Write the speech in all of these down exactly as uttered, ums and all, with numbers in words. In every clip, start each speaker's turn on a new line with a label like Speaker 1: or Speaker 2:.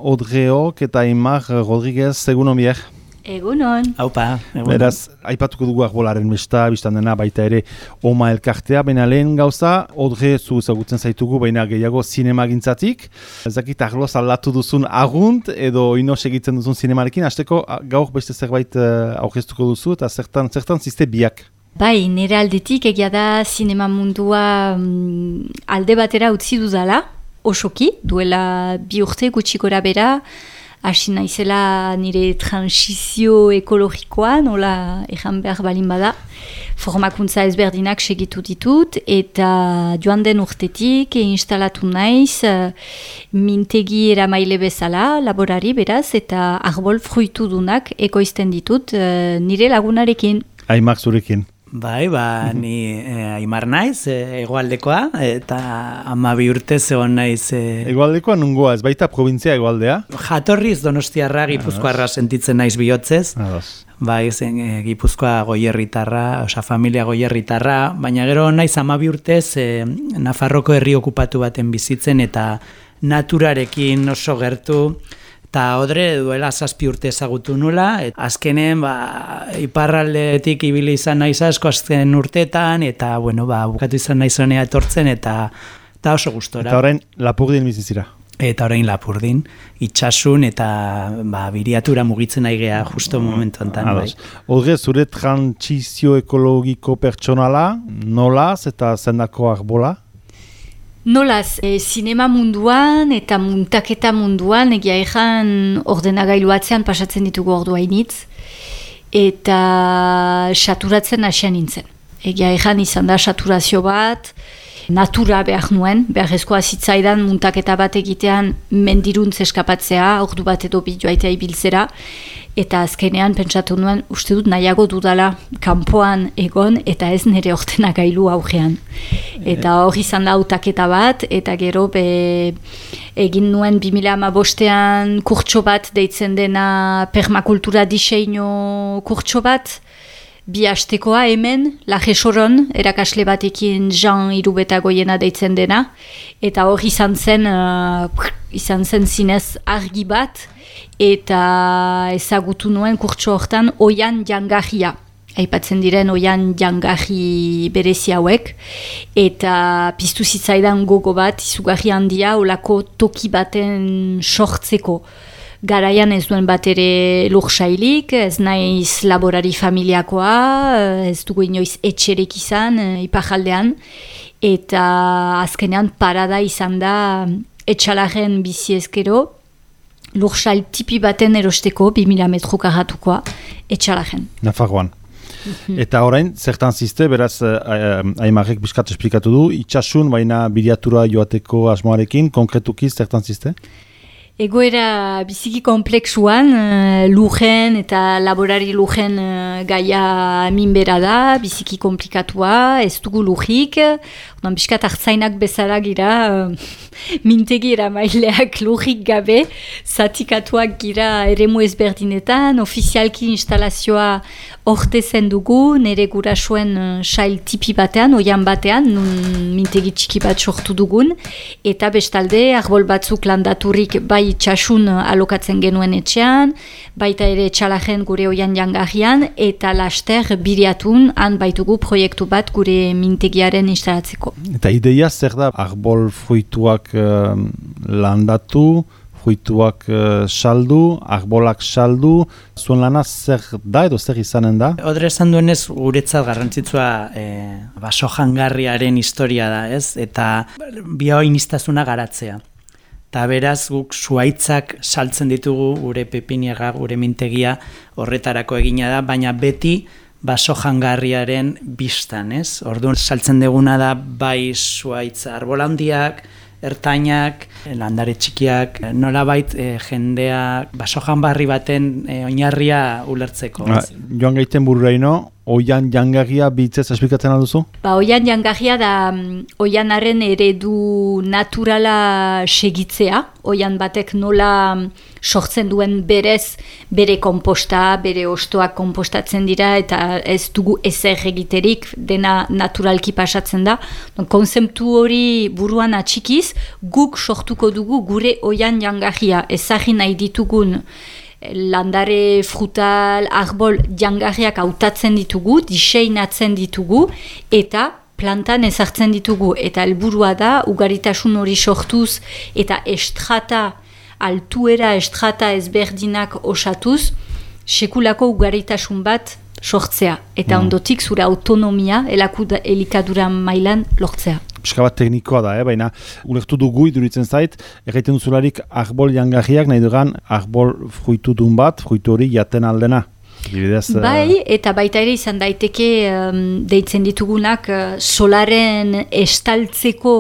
Speaker 1: Odreok eta Aimar Rodriguez, egunon bier.
Speaker 2: Egunon.
Speaker 3: Haupa, egunon.
Speaker 1: Beraz, aipatuko dugu arbolaren besta, biztan dena baita ere Oma elkartea, baina lehen gauza, Odre zu ezagutzen zaitugu, baina gehiago zinema gintzatik. Ezakit arloz aldatu duzun agunt edo ino segitzen duzun zinemarekin, hasteko gaur beste zerbait uh, aurkeztuko duzu eta zertan, zertan ziste biak.
Speaker 2: Bai, nire aldetik egia da zinema mundua um, alde batera utzi dudala, osoki, duela bi urte gutxikora bera, hasi naizela nire transizio ekologikoa, nola ejan behar balin bada, formakuntza ezberdinak segitu ditut, eta joan den urtetik instalatu naiz uh, mintegi eramaile bezala, laborari beraz, eta arbol fruitudunak ekoizten ditut uh, nire lagunarekin.
Speaker 1: Aimar zurekin.
Speaker 3: Bai, ba, ni eh, Aimar naiz, eh, hegoaldekoa, eta hamabi urte zegoen naiz. Eh,
Speaker 1: Hegoaldekoa nungoa, ez baita provintzia hegoaldea?
Speaker 3: Jatorriz Donostiarra, Gipuzkoarra sentitzen naiz bihotzez.
Speaker 1: Ados.
Speaker 3: Bai, zen eh, Gipuzkoa goierritarra, osa familia goierritarra, baina gero naiz hamabi urtez eh, Nafarroko herri okupatu baten bizitzen eta naturarekin oso gertu. Eta Odre duela zazpi urte ezagutu nula, et azkenen ba, iparraldetik ibili izan naiz asko azken urteetan, eta bueno, ba, bukatu izan naiz honea etortzen, eta, eta oso gustora.
Speaker 1: Eta orain Lapurdin bizizira.
Speaker 3: Eta orain Lapurdin, itxasun eta ba, biriatura mugitzen aigea justo momentu enten. Bai.
Speaker 1: Odre, zure trantsizio ekologiko pertsonala, nolaz eta zendako arbola?
Speaker 2: Nolaz, e, zinema munduan eta muntaketa munduan egia ezan ordenagailu atzean pasatzen ditugu ordu hainitz eta saturatzen hasian nintzen. Egia ezan izan da saturazio bat, natura behar nuen, beharrezkoa zitzaidan muntaketa bat egitean mendiruntz eskapatzea, ordu bat edo bi joaitea ibiltzera, eta azkenean pentsatu nuen, uste dut nahiago dudala kanpoan egon eta ez nire ordenagailu aurrean. Eta hor izan da hautaketa bat, eta gero be, egin nuen bi mila hamabostean kurtso bat deitzen dena permakultura diseinu kurtso bat, bi hastekoa hemen, Lajesoron, erakasle batekin Jean Irubetagoiena deitzen dena, eta hor izan zen, uh, izan zen zinez argi bat, eta ezagutu nuen kurtso hortan oian jangarria. Aipatzen diren oian jangarri berezi hauek, eta piztu zitzaidan gogo bat, izugarri handia, olako toki baten sortzeko. Garaian ez duen bat ere lursailik, ez naiz laborari familiakoa, ez dugu inoiz etxerek izan, iparjaldean, eta azkenean parada izan da etxalaren bizi ezkero, lursail tipi baten erosteko, bi mila metro karratukoa, etxalaren.
Speaker 1: Nafarroan. Eta orain, zertan ziste, beraz, Aimarrek biskat esplikatu du, itxasun, baina biriatura joateko asmoarekin, konkretuki zertan ziste?
Speaker 2: Egoera biziki kompleksuan, uh, lujen eta laborari lujen uh, gaia minbera da, biziki komplikatua, ez dugu lujik, odan biskat hartzainak bezala gira, uh, mintegi eramaileak lujik gabe, zatikatuak gira eremu ezberdinetan, ofizialki instalazioa orte zen dugu, nire gurasoen uh, sail tipi batean, oian batean, nun mintegi txiki bat sortu dugun, eta bestalde, arbol batzuk landaturik bai itxasun alokatzen genuen etxean, baita ere etxalajen gure oian jangarrian, eta laster biriatun han baitugu proiektu bat gure mintegiaren instalatzeko.
Speaker 1: Eta ideia zer da, arbol fruituak uh, landatu, fruituak uh, saldu, arbolak saldu, zuen lana zer da edo zer izanen da?
Speaker 3: Odre esan duenez guretzat garrantzitsua eh, baso jangarriaren historia da, ez? Eta bioiniztasuna garatzea. Eta beraz guk zuaitzak saltzen ditugu gure pepiniega, gure mintegia horretarako egina da, baina beti baso jangarriaren bistan, ez? Orduan saltzen duguna da bai zuaitz arbolandiak, ertainak, landare txikiak, nolabait e, jendea baso janbarri baten e, oinarria ulertzeko.
Speaker 1: Ah, joan gaiten bururaino, oian jangarria bitzez esplikatzen alduzu?
Speaker 2: Ba, oian jangarria da um, oianaren eredu naturala segitzea, oian batek nola um, sortzen duen berez bere komposta, bere ostoak kompostatzen dira eta ez dugu ezer egiterik, dena naturalki pasatzen da. Konzeptu hori buruan atxikiz, guk sortuko dugu gure oian jangarria, ezagri nahi ditugun landare, frutal, arbol jangarriak hautatzen ditugu, diseinatzen ditugu eta plantan ezartzen ditugu. Eta helburua da, ugaritasun hori sortuz eta estrata, altuera estrata ezberdinak osatuz, sekulako ugaritasun bat sortzea. Eta mm. ondotik zure autonomia elikadura mailan lortzea.
Speaker 1: Piska bat teknikoa da, eh? Baina ulertu dugu iduritzen zait, egiten duzularik arbol jangarriak nahi dugan arbol fruitudun bat, fruitu hori jaten aldena. Dibidez,
Speaker 2: bai, eta baita ere izan daiteke um, deitzen ditugunak uh, solaren estaltzeko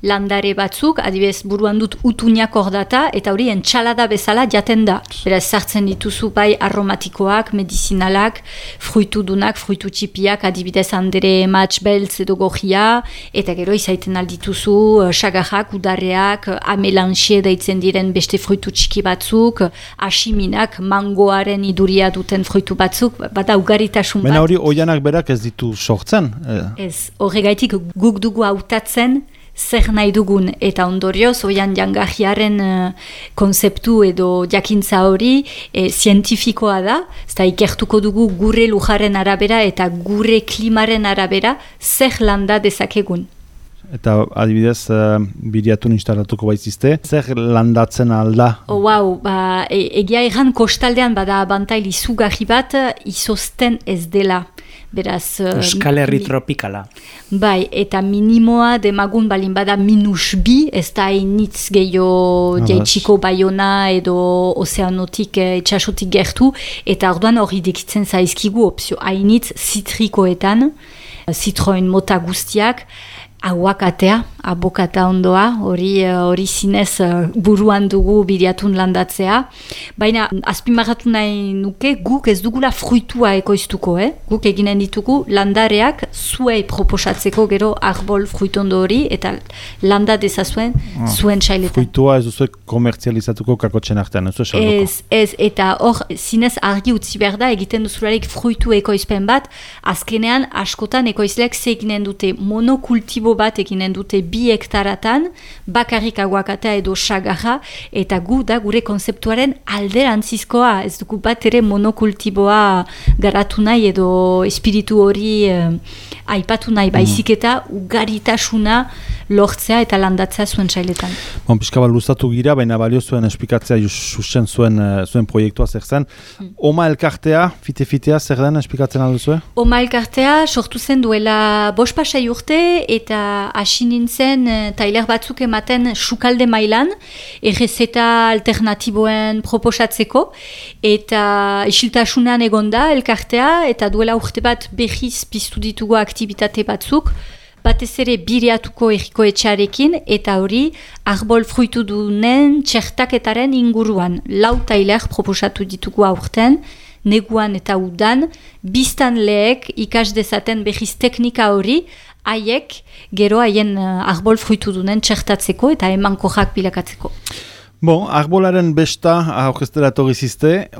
Speaker 2: landare batzuk, adibidez buruan dut utuñak hor data, eta hori entxalada bezala jaten da. Beraz, sartzen dituzu bai aromatikoak, medizinalak, fruitudunak, fruitu txipiak, adibidez handere matx beltz edo gojia, eta gero izaiten aldituzu uh, sagarrak, udarreak, uh, amelanxie deitzen diren beste fruitu txiki batzuk, asiminak, mangoaren iduria duten fruitu batzuk, bada ugaritasun bat.
Speaker 1: Baina hori oianak berak ez ditu sortzen?
Speaker 2: Ez, horregaitik guk dugu hautatzen zer nahi dugun, eta ondorioz oian jangarriaren uh, konzeptu edo jakintza hori e, zientifikoa da, eta ikertuko dugu gure lujaren arabera eta gure klimaren arabera zer landa dezakegun.
Speaker 1: Eta adibidez, uh, biriatun instalatuko baitzizte, zer landatzen alda?
Speaker 2: Oh, wow, ba, e, egia erran kostaldean bada abantail izugarri bat izozten ez dela. Beraz,
Speaker 3: Euskal Herri tropikala.
Speaker 2: Bai, eta minimoa demagun balin bada minus bi, ez da hainitz gehiago jaitsiko Baiona edo ozeanotik, etxasotik gertu, eta orduan hori dekitzen zaizkigu opzio hainitz zitrikoetan, zitroen mota guztiak, aguakatea, abokata ondoa, hori hori zinez buruan dugu biriatun landatzea. Baina azpimarratu nahi nuke, guk ez dugula fruitua ekoiztuko, eh? Guk eginen ditugu landareak zuei proposatzeko gero arbol fruitondo hori eta landa dezazuen ah, zuen txailetan.
Speaker 1: Fruitua ez duzuek komertzializatuko kakotxen artean, ez du esalduko?
Speaker 2: Ez, ez, eta hor zinez argi utzi behar da, egiten duzularik fruitu ekoizpen bat, azkenean askotan ekoizleak ze eginen dute monokultibo bat eginen dute bi hektaratan, bakarrik aguakatea edo sagarra, eta gu da gure konzeptuaren alderantzizkoa, ez dugu bat ere monokultiboa garatu nahi edo espiritu hori eh, aipatu nahi, baizik eta ugaritasuna lortzea eta landatzea zuen txailetan.
Speaker 1: Bon, pixka bat luzatu gira, baina balio zuen esplikatzea susen zuen, zuen proiektua zer zen. Hmm. Oma elkartea, fite-fitea, zer den esplikatzen alduzue?
Speaker 2: Oma elkartea sortu zen duela bost pasai urte eta hasi nintzen tailer batzuk ematen sukalde mailan, errezeta alternatiboen proposatzeko, eta isiltasunean egonda elkartea, eta duela urte bat behiz piztu ditugu aktibitate batzuk, batez ere biriatuko erriko etxarekin, eta hori arbol fruitu dunen txertaketaren inguruan. Lau tailer proposatu ditugu aurten, neguan eta udan, biztan leek ikas dezaten behiz teknika hori, haiek gero haien arbol fruitu dunen txertatzeko eta emankorrak bilakatzeko.
Speaker 1: Bon, arbolaren besta aurkeztera etorri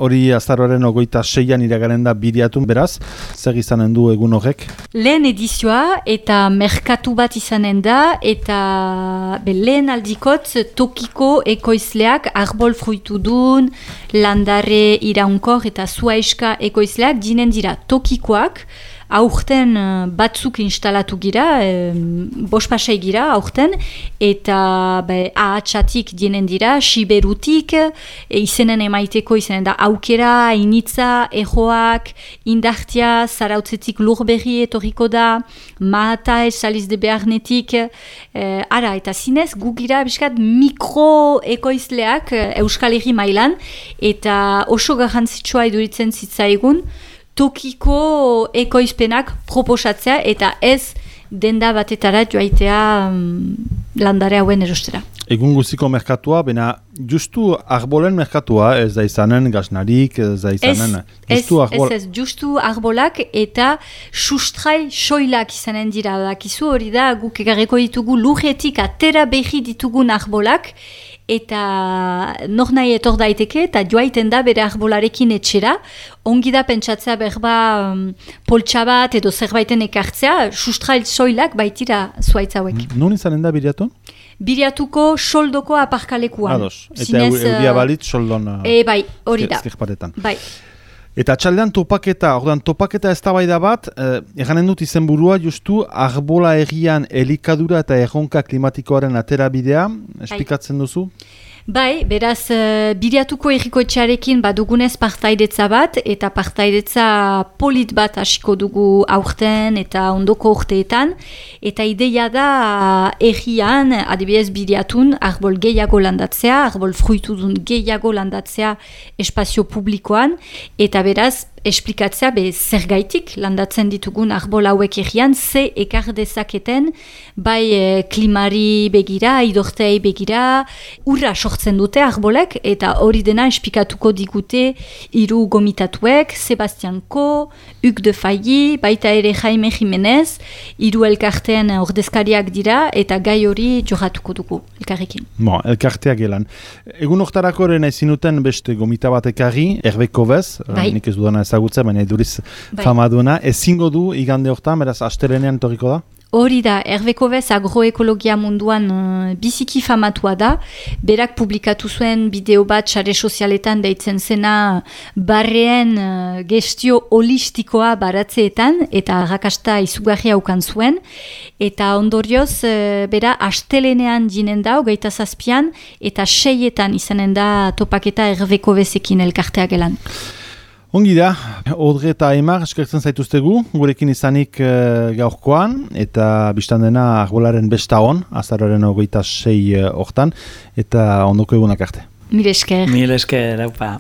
Speaker 1: hori azaroaren ogoita seian iragaren da biriatun, beraz, zer izanen du egun horrek?
Speaker 2: Lehen edizioa eta merkatu bat izanen da, eta be, lehen aldikot tokiko ekoizleak arbol fruitu dun, landare iraunkor eta zuaiska ekoizleak dinen dira tokikoak, aurten batzuk instalatu gira, e, bost pasai gira aurten, eta be, ahatsatik dienen dira, siberutik, e, izenen emaiteko izenen da aukera, initza, ejoak, indartia, zarautzetik lurberri etorriko da, mahata esaliz de beharnetik, e, ara, eta zinez gu gira biskat mikro ekoizleak Euskal Herri mailan, eta oso garrantzitsua iduritzen zitzaigun, tokiko ekoizpenak proposatzea eta ez denda batetara joaitea um, landare hauen erostera.
Speaker 1: Egun guztiko merkatua, bena justu arbolen merkatua, ez da izanen gaznarik, ez da izanen...
Speaker 2: Ez,
Speaker 1: justu arbol...
Speaker 2: ez, ez, justu arbolak eta sustrai soilak izanen dira. Dakizu hori da, guk egarreko ditugu lurretik atera behi ditugun arbolak, eta nor nahi etor daiteke, eta joaiten da bere arbolarekin etxera, ongi da pentsatzea berba um, poltsa bat edo zerbaiten ekartzea, sustrai soilak baitira zuaitz hauek.
Speaker 1: Nun izanen da biriatu?
Speaker 2: Biriatuko soldoko aparkalekuan.
Speaker 1: Ados, eta Zinez, euria balit soldon...
Speaker 2: E, bai, hori da. Bai.
Speaker 1: Eta txaldean topaketa, ordan topaketa eztabaida bat, eh, eganen dut izenburua justu arbola egian elikadura eta erronka klimatikoaren aterabidea, esplikatzen duzu?
Speaker 2: Bai, beraz, uh, biriatuko erriko etxearekin badugunez partaidetza bat, eta partaidetza polit bat hasiko dugu aurten eta ondoko urteetan, eta ideia da uh, errian, adibidez biriatun, arbol gehiago landatzea, arbol fruitudun gehiago landatzea espazio publikoan, eta beraz, esplikatzea be zergaitik landatzen ditugun arbol hauek errian, ze ekar dezaketen, bai e, klimari begira, idortei begira, urra sortzen dute arbolek, eta hori dena esplikatuko digute hiru gomitatuek, Sebastian Ko, Hugues de Failly, baita ere Jaime Jimenez, hiru elkarteen ordezkariak dira, eta gai hori jorratuko dugu elkarrekin.
Speaker 1: Bon, elkarteak gelan. Egun hortarako ere nahi zinuten beste gomita bat ekarri, Herbeko bez,
Speaker 2: bai.
Speaker 1: Nik ez dudana ezagutza, baina eduriz
Speaker 2: bai.
Speaker 1: famaduna, ezingo du igande hortan, beraz, astelenean torriko da?
Speaker 2: Hori da, Herbeko bez agroekologia munduan uh, biziki famatua da, berak publikatu zuen bideo bat sare sozialetan deitzen zena barreen uh, gestio holistikoa baratzeetan, eta arrakasta izugarria ukan zuen, eta ondorioz, uh, bera, astelenean jinen da, hogeita zazpian, eta seietan izanen da topaketa Herbeko bezekin elkartea gelan.
Speaker 1: Ongi da, Audrey eta Aimar eskertzen zaituztegu, gurekin izanik e, gaurkoan, eta biztan dena arbolaren besta hon, azaroaren hogeita sei hortan, eta ondoko egunak arte.
Speaker 2: Mil esker.
Speaker 3: Mil esker, haupa.